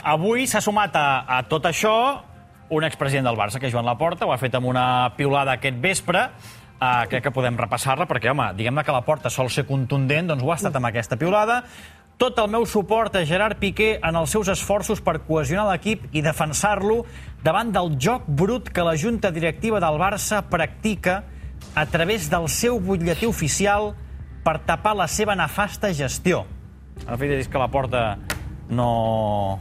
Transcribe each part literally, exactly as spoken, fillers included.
avui s'ha sumat a, a tot això un expresident del Barça, que és Joan Laporta, ho ha fet amb una piulada aquest vespre. Uh, crec que podem repassar-la, perquè, home, diguem-ne que Laporta sol ser contundent, doncs ho ha estat amb aquesta piulada. Tot el meu suport a Gerard Piqué en els seus esforços per cohesionar l'equip i defensar-lo davant del joc brut que la junta directiva del Barça practica a través del seu butlletí oficial per tapar la seva nefasta gestió. En fi, és que Laporta no...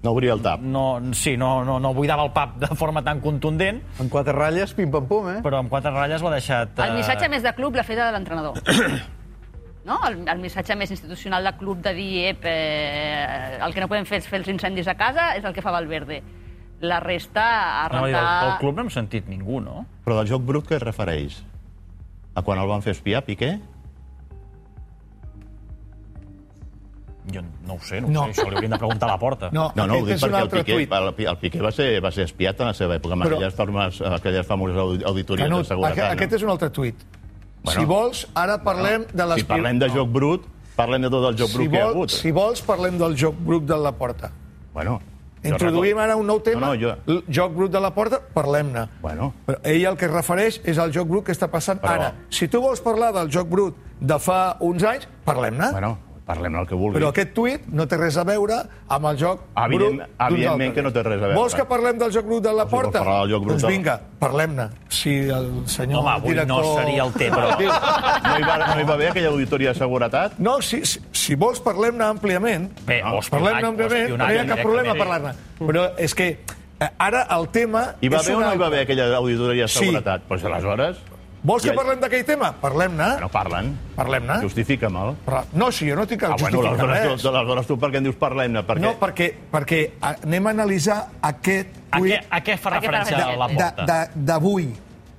No obria el tap. No, sí, no, no, no buidava el pap de forma tan contundent. En quatre ratlles, pim-pam-pum, eh? Però amb quatre ratlles l'ha deixat... El missatge més de club l'ha fet de l'entrenador. No? El, el missatge més institucional de club de dir ep, eh, el que no podem fer és fer els incendis a casa és el que fa Valverde. La resta a rentar... No, el, el club no hem sentit ningú, no? Però del joc brut què es refereix? A quan el van fer espiar, Piqué? Jo no ho sé, no, no. Ho sé, això li hauríem de preguntar a Laporta. No, no, no ho dic perquè el Piqué, el, el Piqué va ser, va ser espiat en la seva època, amb Però... aquelles, formes, aquelles famoses auditories Canut, de seguretat. Aquest, aquest és un altre tuit. Bueno, si vols, ara parlem no, de les... Si parlem de joc brut, parlem de tot el joc si brut vol, que hi ha hagut. Si vols, parlem del joc brut de Laporta. Bueno... Introduïm ara un nou tema, no, no, jo... el joc brut de Laporta, parlem-ne. Bueno. Però ell el que es refereix és al joc brut que està passant Però... ara. Si tu vols parlar del joc brut de fa uns anys, parlem-ne. Bueno, parlem el que vulgui. Però aquest tuit no té res a veure amb el joc Evident, brut d'uns Evidentment altres. que no té res a veure. Vols que parlem del joc brut de Laporta? Si doncs vinga, parlem-ne. Si el senyor Home, avui director... no seria el tema. No hi, va, no hi va haver aquella auditoria de seguretat? No, si, si, si vols parlem-ne àmpliament. Bé, no, parlem-ne àmpliament, no hi ha cap problema a parlar-ne. Però és que ara el tema... Hi va haver o no una... hi va haver aquella auditoria de seguretat? Doncs sí. Aleshores... Vols que ja... parlem d'aquell tema? Parlem-ne. No parlen. Parlem-ne. Justifica'm-el. No, sí, jo no tinc que ah, justificar bueno, res. Tu, aleshores tu per què em dius parlem-ne? Perquè... No, perquè, perquè anem a analitzar aquest tuit... A, a què fa referència a Laporta? D'avui.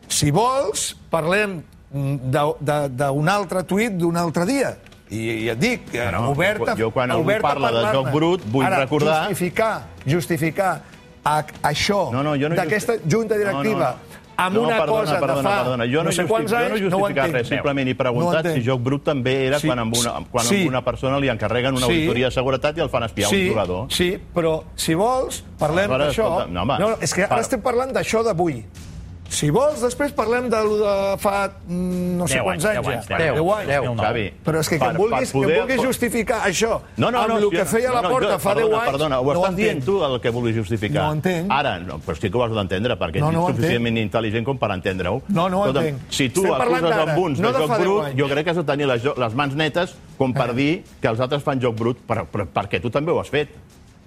Si vols, parlem d'un altre tuit d'un altre dia. I, i et dic, bueno, oberta, jo quan algú parla de joc brut vull Ara, recordar... justificar, justificar a, això no, no, no d'aquesta just... junta directiva... No, no, no. amb no, una perdona, cosa perdona, de fa perdona. Jo no, no sé quants justific, anys, jo no justificat no res, simplement he preguntat no si joc brut també era sí, quan, amb una, quan sí. amb una persona li encarreguen una sí. auditoria de seguretat i el fan espiar sí, un jugador. Sí, però si vols, parlem d'això. No, no, és que ara estem parlant d'això d'avui. Si vols, després parlem de lo de fa no sé quants anys, anys, ja. deu, deu anys. deu, Xavi. Però és que que em vulguis, que vulguis justificar això no, no, no, amb el que feia no, no, Laporta jo, fa deu anys, perdona, ho estàs dient tu el que vulguis justificar. No entenc. Ara, no, però sí que ho has d'entendre, perquè no, no ets suficientment intel·ligent com per entendre-ho. No, no ho entenc. Si tu acuses amb uns de joc brut, jo crec que has de tenir les, les mans netes com per dir que els altres fan joc brut, però, però perquè tu també ho has fet.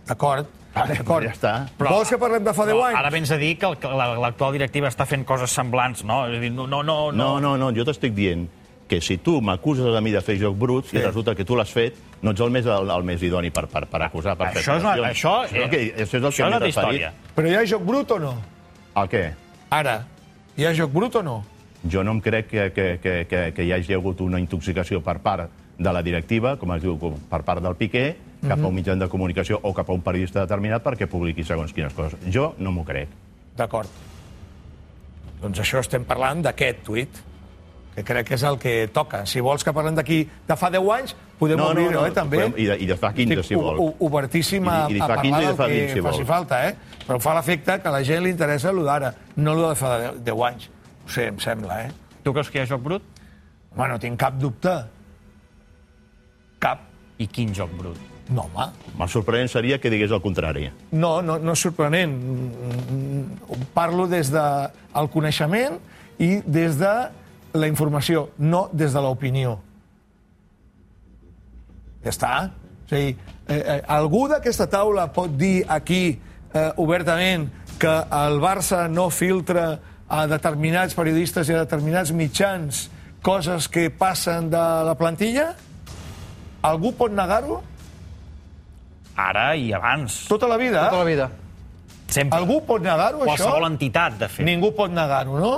D'acord. D'acord, ja està. Però, vols que parlem de fa deu anys? Ara vens a dir que l'actual directiva està fent coses semblants, no? És a dir, no, no, no, no, no, no, jo t'estic dient que si tu m'acuses a mi de fer joc brut sí. i resulta que tu l'has fet, no ets el més, el, el més idoni per, per, per acusar. Per això, és una, això, això, eh, que, això és el això és una història. Però hi ha joc brut o no? El què? Ara, hi ha joc brut o no? Jo no em crec que, que, que, que, que hi hagi hagut una intoxicació per part de la directiva, com es diu, per part del Piqué, cap a un mitjà de comunicació o cap a un periodista determinat perquè publiqui segons quines coses. Jo no m'ho crec. D'acord. Doncs això estem parlant d'aquest tuit, que crec que és el que toca. Si vols que parlem d'aquí de fa deu anys, podem no, obrir-ho, no, no, eh, també. Podem, i, de, I de fa quinze, si vols. Estic obertíssim a, I, i a parlar del que vint, si faci vols. falta, eh? Però fa l'efecte que a la gent li interessa allò d'ara, no allò de fa deu anys. No sé, em sembla, eh? Tu creus que hi ha joc brut? Home, no tinc cap dubte. Cap. I quin joc brut? No, home. El sorprenent seria que digués el contrari. No, no, no és sorprenent. Parlo des del coneixement i des de la informació, no des de l'opinió. Ja està. O sigui, eh, eh, algú d'aquesta taula pot dir aquí eh, obertament que el Barça no filtra a determinats periodistes i a determinats mitjans coses que passen de la plantilla? Algú pot negar-ho? Ara i abans. Tota la vida? Tota la vida. Sempre. Algú pot negar-ho, això? Qualsevol entitat, de fet. Ningú pot negar-ho, no?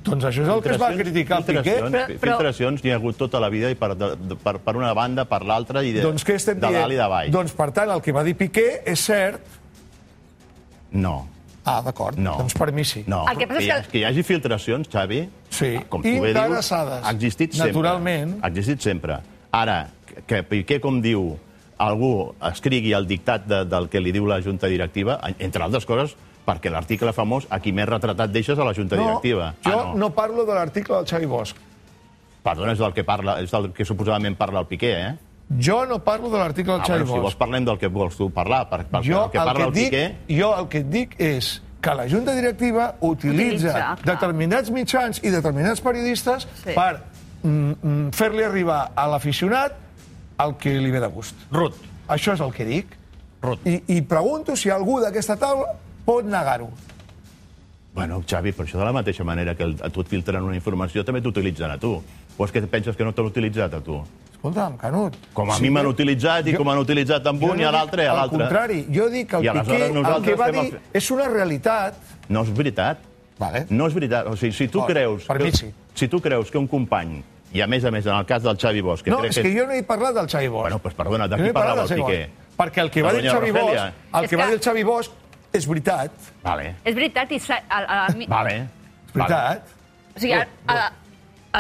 Doncs això és el que es va criticar al Piqué. Filtracions, filtracions n'hi ha hagut tota la vida i per, per, per una banda, per l'altra, i de, doncs què estem de dient? dalt i de baix. Doncs, per tant, el que va dir Piqué és cert? No. Ah, d'acord. No. Doncs per mi sí. No. El que passa és que... que hi hagi filtracions, Xavi, sí. com tu bé dius, ha existit sempre. Naturalment. Ha existit sempre. Ara, que Piqué, com diu, algú escrigui el dictat de, del que li diu la junta directiva, entre altres coses, perquè l'article famós, a qui més retratat deixes a la junta No, directiva. jo Ah, no parlo de l'article del Xavi Bosch. Perdona, és del que, parla, és del que suposadament parla el Piqué, eh? Jo no parlo de l'article del Ah, Xavi bueno, si vols Bosch. parlem del que vols tu parlar, per, perquè Jo el que el parla que, el et dic, Piqué... jo el que et dic és que la junta directiva utilitza, Utilitza, clar. determinats mitjans i determinats periodistes Sí. per mm, mm, fer-li arribar a l'aficionat el que li ve de gust. Ruth, Això és el que dic. Ruth. I, i pregunto si algú d'aquesta taula pot negar-ho. Bueno, Xavi, per això de la mateixa manera que el, a tu et filtren una informació, també t'utilitzen a tu. O és que penses que no t'han utilitzat a tu? Escolta'm, Canut... Com a sí mi m'han que- utilitzat i jo- com han utilitzat amb jo un no i a dic l'altre i a Al l'altre. contrari, jo dic que el I aleshores Piqué el nosaltres que va fem el dir fe- és una realitat. No és veritat. Vale. No és veritat. O sigui, si tu Oh, creus... per mi que, sí. Si tu creus que un company, i a més a més, en el cas del Xavi Bosch... Que No, crec és que jo no he parlat del Xavi Bosch. Bueno, doncs perdona, de Jo no qui he parlat parlava el del Xavi Piqué? Bosch. Perquè el que va De dir el doña Xavi Rogelia. Bosch, el És que va que- dir el Xavi Bosch és veritat. Vale, És veritat, i sa- a, a, a mi... vale. És veritat. O sigui, a- a-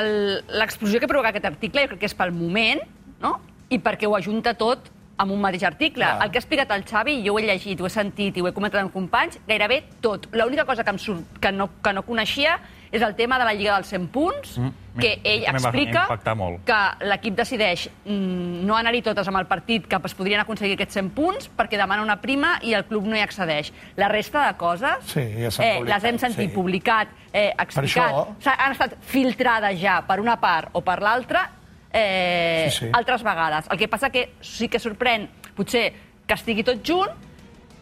el- l'explosió que provoca aquest article jo crec que és pel moment, no? I perquè ho ajunta tot amb un mateix article. Clar. El que ha explicat el Xavi, jo ho he llegit, ho he sentit i ho he comentat amb companys, gairebé tot. L'única cosa que, em surt, que, no, que no coneixia és el tema de la Lliga dels cent punts, mm, que ell també va explica impactar molt. que l'equip decideix mm, no anar-hi totes amb el partit que es podrien aconseguir aquests cent punts perquè demana una prima i el club no hi accedeix. La resta de coses Sí, ja s'han eh, publicat, les hem sentit sí. publicat, eh, explicat, això- s'ha- han estat filtrades ja per una part o per l'altra eh, Sí, sí. altres vegades. El que passa que sí que sorprèn potser que estigui tot junt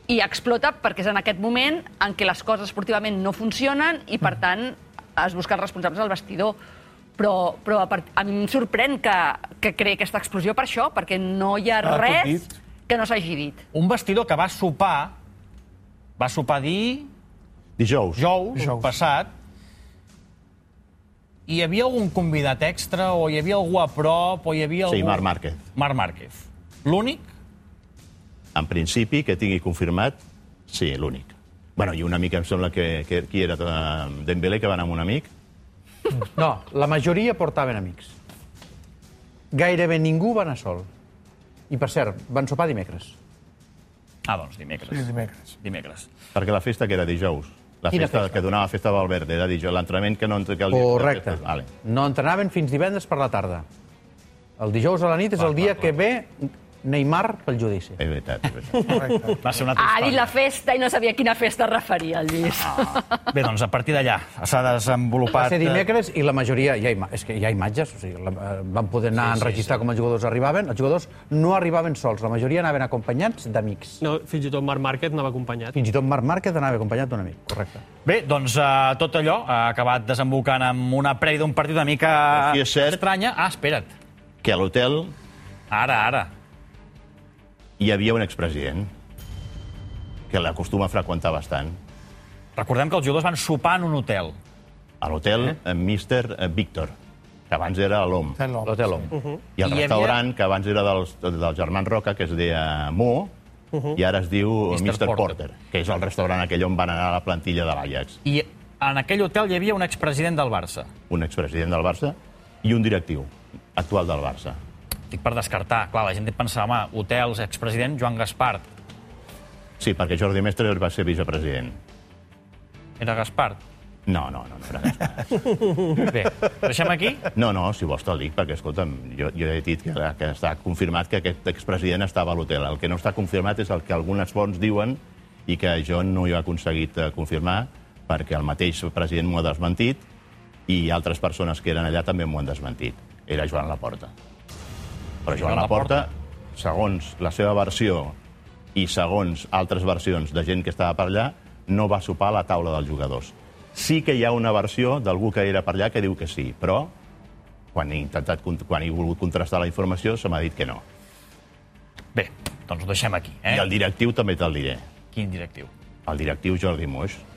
i explota perquè és en aquest moment en què les coses esportivament no funcionen i, per tant, es busquen responsables al vestidor. Però, però a, part, a mi em sorprèn que, que creï aquesta explosió per això, perquè no hi ha Ah, tot res dit. que no s'hagi dit. Un vestidor que va sopar, va sopar dir Dijous. dijous, Dijous. passat, i hi havia algun convidat extra, o hi havia algú a prop, o hi havia algú... Sí, Marc Márquez. Marc Márquez. L'únic? En principi, que tingui confirmat, sí, l'únic. Bueno, i un amic, em sembla que, que qui era eh, Dembélé, que va anar amb un amic. No, la majoria portaven amics. Gairebé ningú va anar sol. I, per cert, van sopar dimecres. Ah, doncs dimecres. Sí, dimecres. Dimecres. Perquè la festa que era dijous. La Quina festa, festa? que donava festa a Valverde era dijous. L'entrenament que no... Que el dia- Correcte. Vale. No entrenaven fins divendres per la tarda. El dijous a la nit és el dia que ve Neymar pel judici. És veritat, és veritat. Correcte. Va ser una Ha altra dit la història. festa i no sabia a quina festa es referia, el Lluís. Bé, doncs a partir d'allà s'ha Va desenvolupat... ser dimecres i la majoria... Hi ha ima... És que hi ha imatges, o sigui, la... eh, van poder anar sí, a enregistrar sí, sí. com els jugadors arribaven. Els jugadors no arribaven sols, la majoria anaven acompanyats d'amics. No, fins i tot Marc Márquez anava acompanyat. Fins i tot Marc Márquez anava acompanyat d'un amic, correcte. Bé, doncs uh, tot allò ha acabat desembocant amb una prèvia d'un partit una mica Sí, és cert. estranya. Ah, espera't. Que a l'hotel Ara, ara. hi havia un expresident que l'acostuma a freqüentar bastant. Recordem que els jugadors van sopar en un hotel. A l'hotel eh? míster Víctor, que abans era l'O M. Ten l'home. L'hotel Hom. I el I hi havia- restaurant, que abans era dels, dels germans Roca, que es deia Mo, i ara es diu míster míster Porter. Porter, que és el restaurant aquell on van anar a la plantilla de l'Ajax. I en aquell hotel hi havia un expresident del Barça. Un expresident del Barça i un directiu actual del Barça. Dic per descartar. Clar, la gent pensava, home, hotels, expresident, Joan Gaspart. Sí, perquè Jordi Mestre va ser vicepresident. Era Gaspart. No, no, no, no era Gaspar. Bé, ho deixem aquí? No, no, si vols te'l dic, perquè, escolta'm, jo, jo he dit que, que està confirmat que aquest expresident estava a l'hotel. El que no està confirmat és el que algunes fonts diuen i que jo no hi he aconseguit eh, confirmar perquè el mateix president m'ho ha desmentit i altres persones que eren allà també m'ho han desmentit. Era Joan Laporta. Però Joan Laporta, segons la seva versió i segons altres versions de gent que estava per allà, no va sopar a la taula dels jugadors. Sí que hi ha una versió d'algú que era per allà que diu que sí, però quan he, intentat, quan he volgut contrastar la informació se m'ha dit que no. Bé, doncs ho deixem aquí. Eh? I el directiu també te'l diré. Quin directiu? El directiu Jordi Moix.